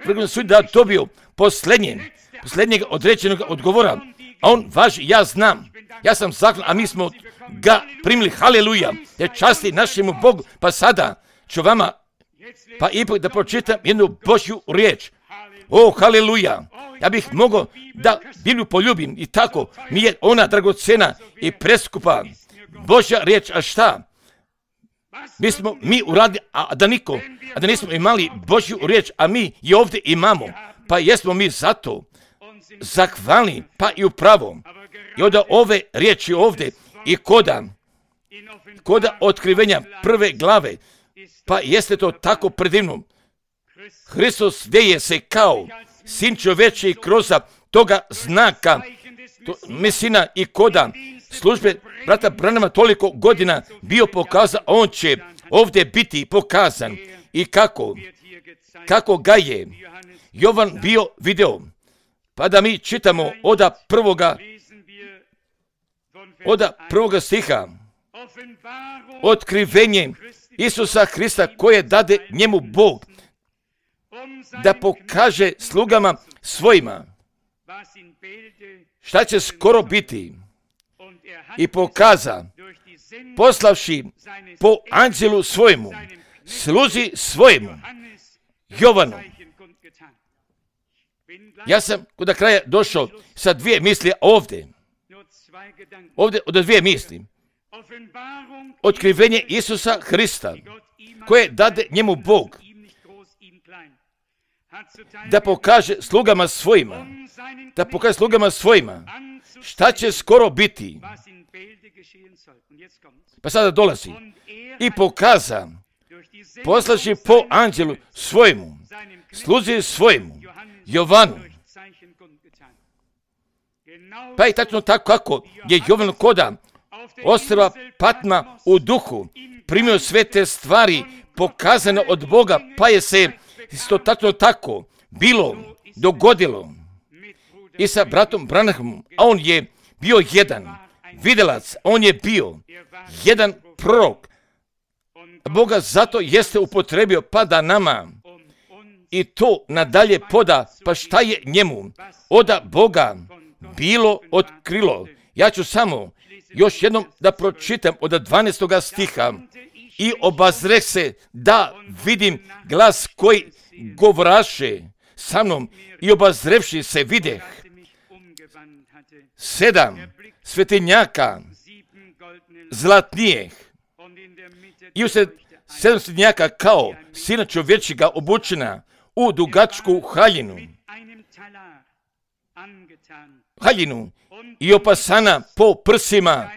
S1: vrhovnog sudje da dobiju posljednje, posljednjeg određenog odgovora, a on važi, ja znam, ja sam zahvalan, a mi smo ga primili, haleluja, jer časti našemu Bogu. Pa sada ću vama, pa ipak da pročitam jednu Božju riječ. O, haleluja, ja bih mogao da Bibliju poljubim i tako mi je ona dragocena i preskupa Božja riječ, a šta? Mi smo mi uradili, a da niko, a da nismo imali Božju riječ, a mi je ovdje imamo, pa jesmo mi zato zahvalni, pa i upravo. I onda ove riječi ovdje i koda, koda otkrivenja prve glave, pa jeste to tako predivno. Hristos deje se kao sin čoveče i kroz toga znaka, to, mesina i koda službe brata Branhama toliko godina bio pokazan, on će ovdje biti pokazan i kako, kako ga je Jovan bio video. Pa da mi čitamo oda prvoga, oda prvoga stiha, otkrivenje Isusa Hrista koje dade njemu Bog, da pokaže slugama svojima šta će skoro biti, i pokaza, poslavši po anđelu svojemu, sluzi svojemu, Jovanu. Ja sam kod kraja došao sa dvije misli ovdje. Ovdje od dvije misli. Otkrivenje Isusa Hrista, koje dade njemu Bog, da pokaže slugama svojima, da pokaže slugama svojima, šta će skoro biti. Pa sada dolazi. I pokaza, poslaši po anđelu svojemu, sluzi svojemu, Jovanu. Pa i tačno tako kako je Jovan koda ostrva Patma u duhu primio sve te stvari pokazane od Boga, pa je se isto tačno tako bilo dogodilo i sa bratom Branhamom, a on je bio jedan vidjelac, on je bio jedan prorok. Boga zato jeste upotrebio pa da nama i to nadalje poda, pa šta je njemu oda Boga bilo otkrilo. Ja ću samo još jednom da pročitam od dvanaestoga stiha. I obazreh se da vidim glas koji govoraše sa mnom, i obazrevši se videh sedam svetinjaka zlatnijeg i usred sedamstotnjaka kao sina čovječjega obučena u dugačku haljinu, haljinu i opasana po prsima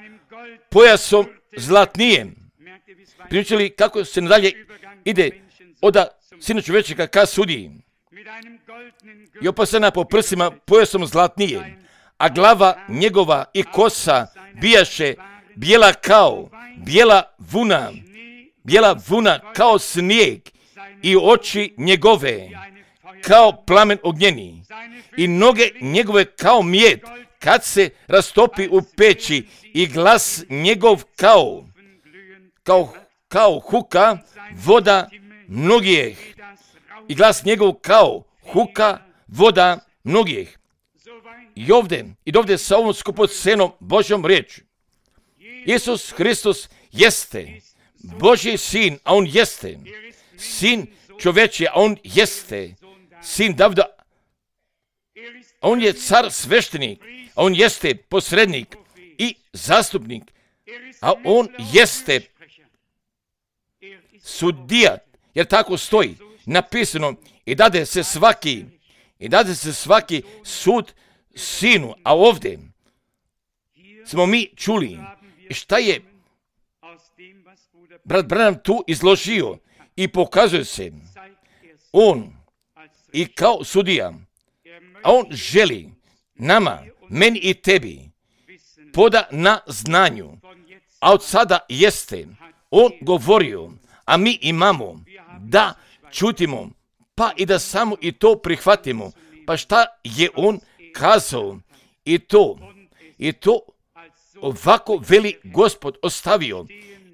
S1: pojasom zlatnijem. Primjećili kako se nadalje ide od sina čovječjega ka sudiji i opasana po prsima pojasom zlatnije, a glava njegova i kosa bijaše bijela kao bijela vuna, bijela vuna kao snijeg i oči njegove kao plamen ognjeni i noge njegove kao mjed kad se rastopi u peći i glas njegov kao kao, kao huka voda mnogih i glas njegov kao huka voda mnogih. I ovdje, i ovdje sa ovom skupocenom Božjom riječi. Isus Hristos jeste Božji sin, a on jeste sin čovječji, a on jeste sin Davida. On je car sveštenik, a on jeste posrednik i zastupnik, a on jeste sudija, jer tako stoji napisano i dade se svaki, i dade se svaki sud sinu, a ovdje smo mi čuli šta je brat Branham tu izložio i pokazuje se on i kao sudija, a on želi nama, meni i tebi poda na znanju, a od sada jeste on govorio, a mi imamo da čutimo, pa i da samo i to prihvatimo, pa šta je on kazao i to, i to ovako veli Gospod ostavio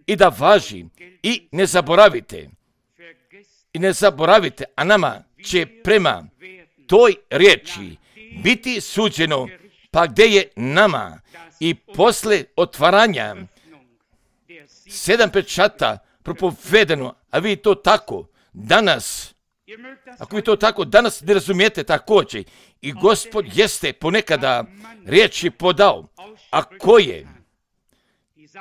S1: i da važi i ne zaboravite, i ne zaboravite, a nama će prema toj riječi biti suđeno, pa gdje je nama i posle otvaranja sedam pečata propovedano, a vi to tako danas, ako vi to tako danas ne razumijete također, i Gospod jeste ponekada riječi podao, a koje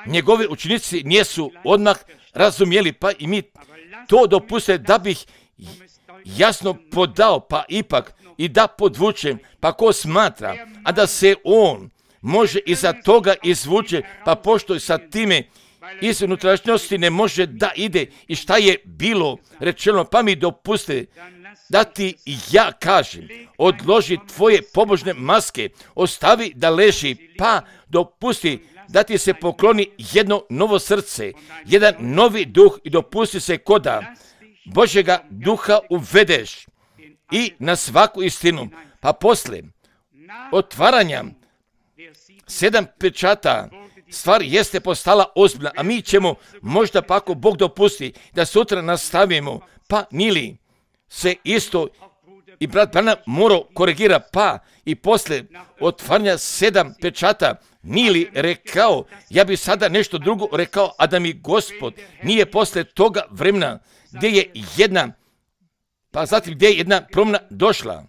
S1: njegovi učenici nisu odmah razumjeli, pa i mi to dopuste da bih jasno podao, pa ipak i da podvučem, pa ko smatra, a da se on može iza toga izvuče, pa pošto sa time iz unutrašnjosti ne može da ide i šta je bilo rečeno, pa mi dopuste da ti ja kažem, odloži tvoje pobožne maske, ostavi da leži, pa dopusti da ti se pokloni jedno novo srce, jedan novi duh i dopusti se koda Božjega duha uvedeš i na svaku istinu, pa posle otvaranja sedam pečata stvar jeste postala ozbiljna, a mi ćemo možda pa ako Bog dopusti da sutra nastavimo, pa nili se isto i brat Branham morao korigira, pa i posle otvaranja sedam pečata nili rekao, ja bi sada nešto drugo rekao, a da mi Gospod nije posle toga vremena gdje je jedna, pa zatim gdje je jedna promjena došla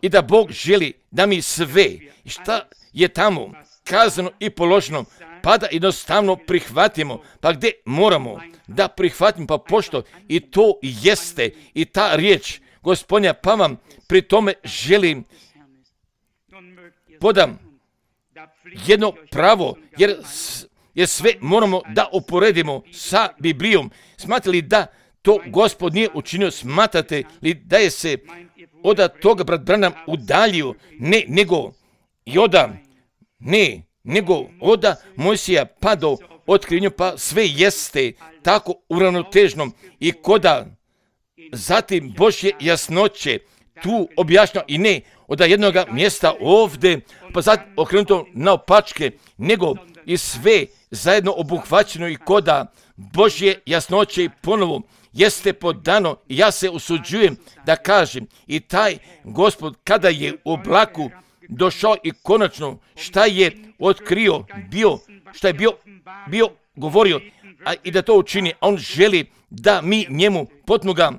S1: i da Bog želi da mi sve šta je tamo kazano i položeno, pa da jednostavno prihvatimo, pa gdje moramo da prihvatimo, pa pošto i to jeste i ta riječ Gospodnja, pa vam pri tome želim podam jedno pravo, jer, jer sve moramo da uporedimo sa Biblijom. Smatrate li da to Gospod nije učinio? Smatrate li da je se od toga brat Branham udaljio? Ne, nego i oda, ne, nego oda Mojsija pa do otkrivenja, pa sve jeste tako uravnotežno i koda zatim Božje jasnoće tu objašnjava i ne od jednog mjesta ovdje, pa zatim okrenuto naopačke, nego i sve zajedno obuhvaćeno i koda Božje jasnoće i ponovo jeste podano. Ja se usuđujem da kažem i taj Gospod kada je u oblaku došao i konačno šta je otkrio, bio, šta je bio, bio govorio, a i da to učini, on želi da mi njemu potnoga,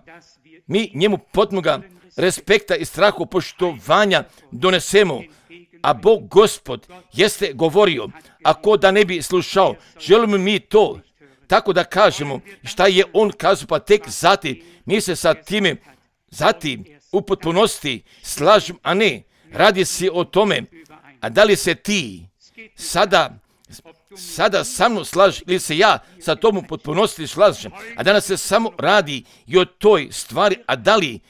S1: mi njemu potnoga respekta i strahu poštovanja donesemo, a Bog Gospod jeste govorio, ako da ne bi slušao, želimo mi to tako da kažemo šta je on kazao, pa tek zatim mi se sa time zatim u potpunosti slažem, a ne radi se o tome, a da li se ti sada sada sa mnom slažeš ili se ja sa tom u potpunosti slažem, a danas se samo radi i o toj stvari, a da li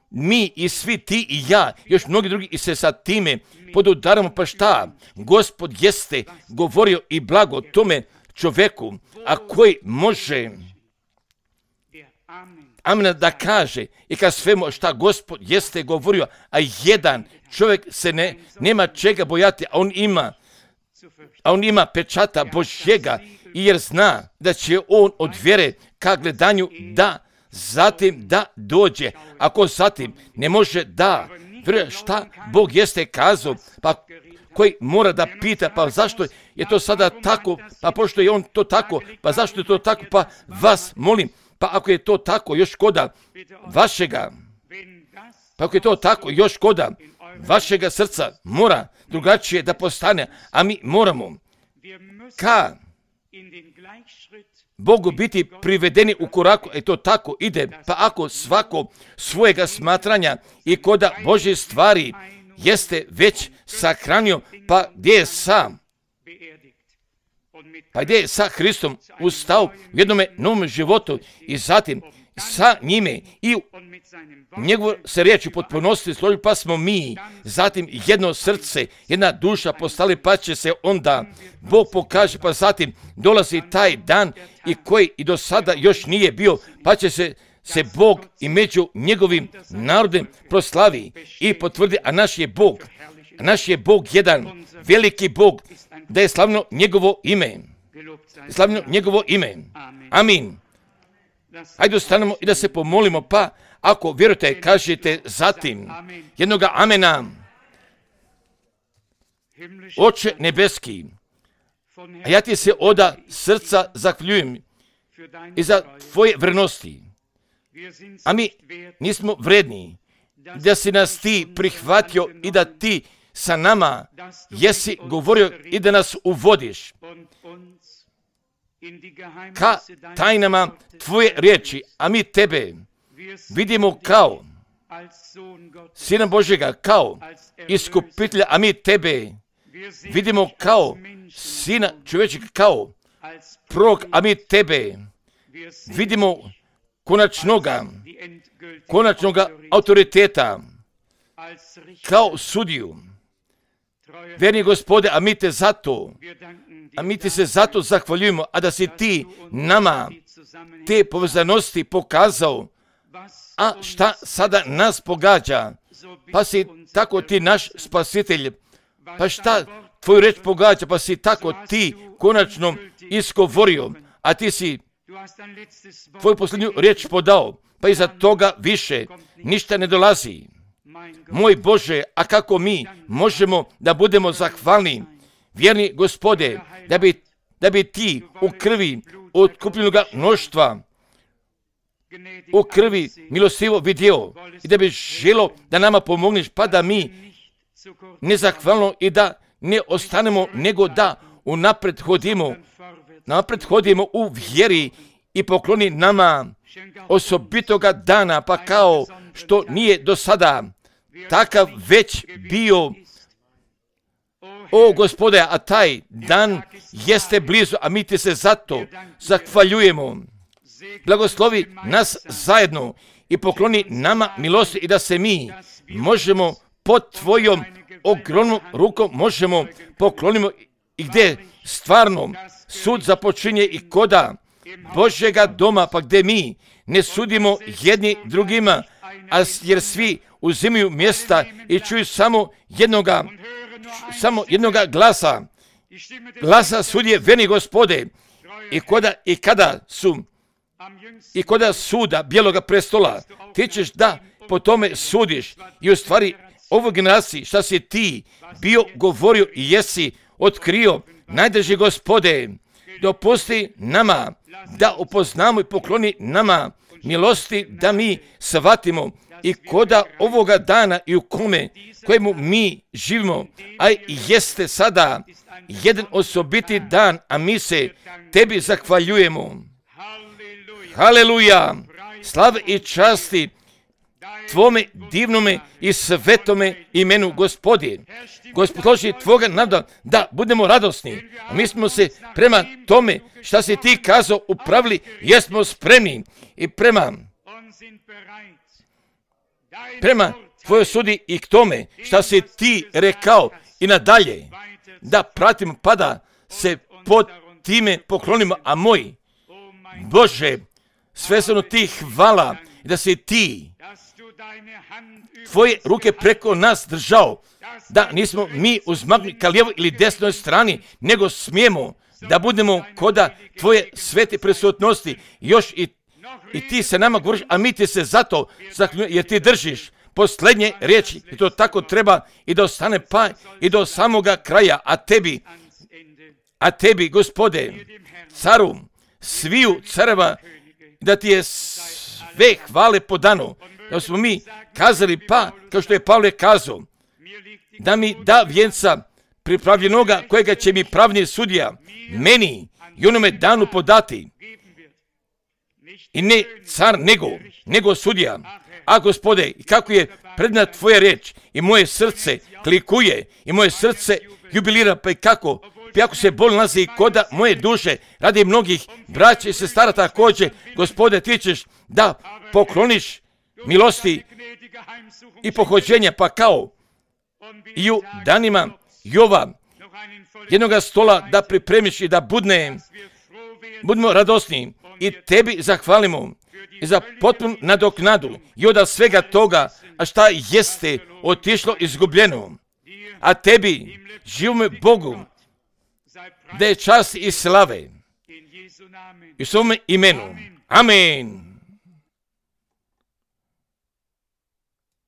S1: mi i svi ti i ja, još mnogi drugi i se sa time podudaramo, pa šta? Gospod jeste govorio i blago tome čoveku, a koji može amen da kaže i kad svemu šta Gospod jeste govorio, a jedan čovjek se ne, nema čega bojati, a on ima a on ima pečata Božjega, jer zna da će on od vjere ka gledanju da zatim da dođe. Ako zatim ne može da vjeruje šta Bog jeste kazao, pa koji mora da pita, pa zašto je to sada tako, pa pošto je on to tako, pa zašto je to tako, pa vas molim, pa ako je to tako još koda vašega, pa ako je to tako još koda vašega srca mora drugačije da postane, a mi moramo ka Bogu biti privedeni u koraku, e to tako ide, pa ako svako svojega smatranja i koda Božje stvari jeste već sahranio, pa gdje je sam, pa gdje je sa Hristom ustao u jednome novom životu i zatim sa njime i njegovu se riječ u potpunosti složili, pa smo mi zatim jedno srce, jedna duša postali, pa će se onda Bog pokaže, pa zatim dolazi taj dan i koji i do sada još nije bio, pa će se se Bog i među njegovim narodem proslavi i potvrdi, a naš je Bog, a naš je Bog jedan veliki Bog, da je slavno njegovo ime, slavno njegovo ime. Amin. Hajde ostanemo i da se pomolimo, pa ako vjerujete, kažete zatim jednoga amena. Oče nebeski, a ja ti se oda srca zahvaljujem i za tvoje vrednosti, a mi nismo vredni da si nas ti prihvatio i da ti sa nama jesi govorio i da nas uvodiš ka tajnama tvoje riječi, a mi tebe vidimo kao Sina Božjega, kao iskupitelja, a mi tebe vidimo kao Sina čovječega, kao prorok, a mi tebe vidimo konačnoga, konačnoga autoriteta, kao sudiju. Verni Gospode, a mi te zato, a mi ti se zato zahvaljujemo, a da si ti nama te povezanosti pokazao, a šta sada nas pogađa, pa si tako ti naš spasitelj, pa šta tvoju reč pogađa, pa si tako ti konačno iskovorio, a ti si tvoju posljednju riječ podao, pa iza toga više ništa ne dolazi. Moj Bože, a kako mi možemo da budemo zahvalni, vjerni Gospode, da bi, da bi ti u krvi otkupljenoga mnoštva, u krvi milostivo vidio i da bi želo da nama pomogneš, pa da mi nezahvalno i da ne ostanemo, nego da unapred hodimo, napred hodimo u vjeri i pokloni nama osobitoga dana, pa kao što nije do sada takav već bio. O Gospode, a taj dan jeste blizu, a mi ti se zato zahvaljujemo. Blagoslovi nas zajedno i pokloni nama milosti i da se mi možemo pod tvojom ogromnom rukom možemo poklonimo i gdje stvarno sud započinje i koda Božjega doma, pa gdje mi ne sudimo jedni drugima, a jer svi uzimaju mjesta i čuju samo jednoga, samo jednoga glasa, glasa sudje, veni Gospode, i koda i kada su i koda suda bijeloga prestola, ti ćeš da po tome sudiš i u stvari ovoj generaciji šta si ti bio govorio i jesi otkrio, najdrži Gospode, dopusti nama da upoznamo i pokloni nama milosti, da mi shvatimo i koda ovoga dana i u kome, kojemu mi živimo, a jeste sada jedan osobiti dan, a mi se tebi zahvaljujemo. Haleluja, slave i časti tvome divnome i svetome imenu, Gospodi. Gospod, složi tvoga nada da budemo radosni. A mi smo se prema tome šta si ti kazao upravili, jesmo spremni i prema prema tvojoj sudi i k tome šta si ti rekao i nadalje da pratimo pa da se pod time poklonimo, a moj Bože, svesno ti hvala da si ti tvoje ruke preko nas držao, da nismo mi uzmagli ka lijevoj ili desnoj strani, nego smijemo da budemo koda tvoje svete prisutnosti, još i, i ti se nama govoriš, a mi ti se zato zahvaljujemo, jer ti držiš posljednje riječi i to tako treba i da ostane pa i do samoga kraja, a tebi, a tebi, Gospode, caru sviju careva, da ti je sve hvale podano, da smo mi kazali pa, kao što je Pavle kazao, da mi da vjenca pripravljenoga kojega će mi pravni sudija meni i onome danu podati. I ne car nego, nego sudija. A Gospode, kako je predna tvoja reč i moje srce klikuje i moje srce jubilira, pa i kako, pa jako se bol nalazi koda moje duše radi mnogih braća i sestara također, Gospode, ti ćeš da pokloniš milosti i pohođenja, pa kao i u danima Jova jednoga stola da pripremiš i da budne, budemo radosni i tebi zahvalimo i za potpunu nadoknadu i od svega toga, a šta jeste otišlo izgubljeno. A tebi, živome Bogu, da je čast i slave i u svome imenu. Amen.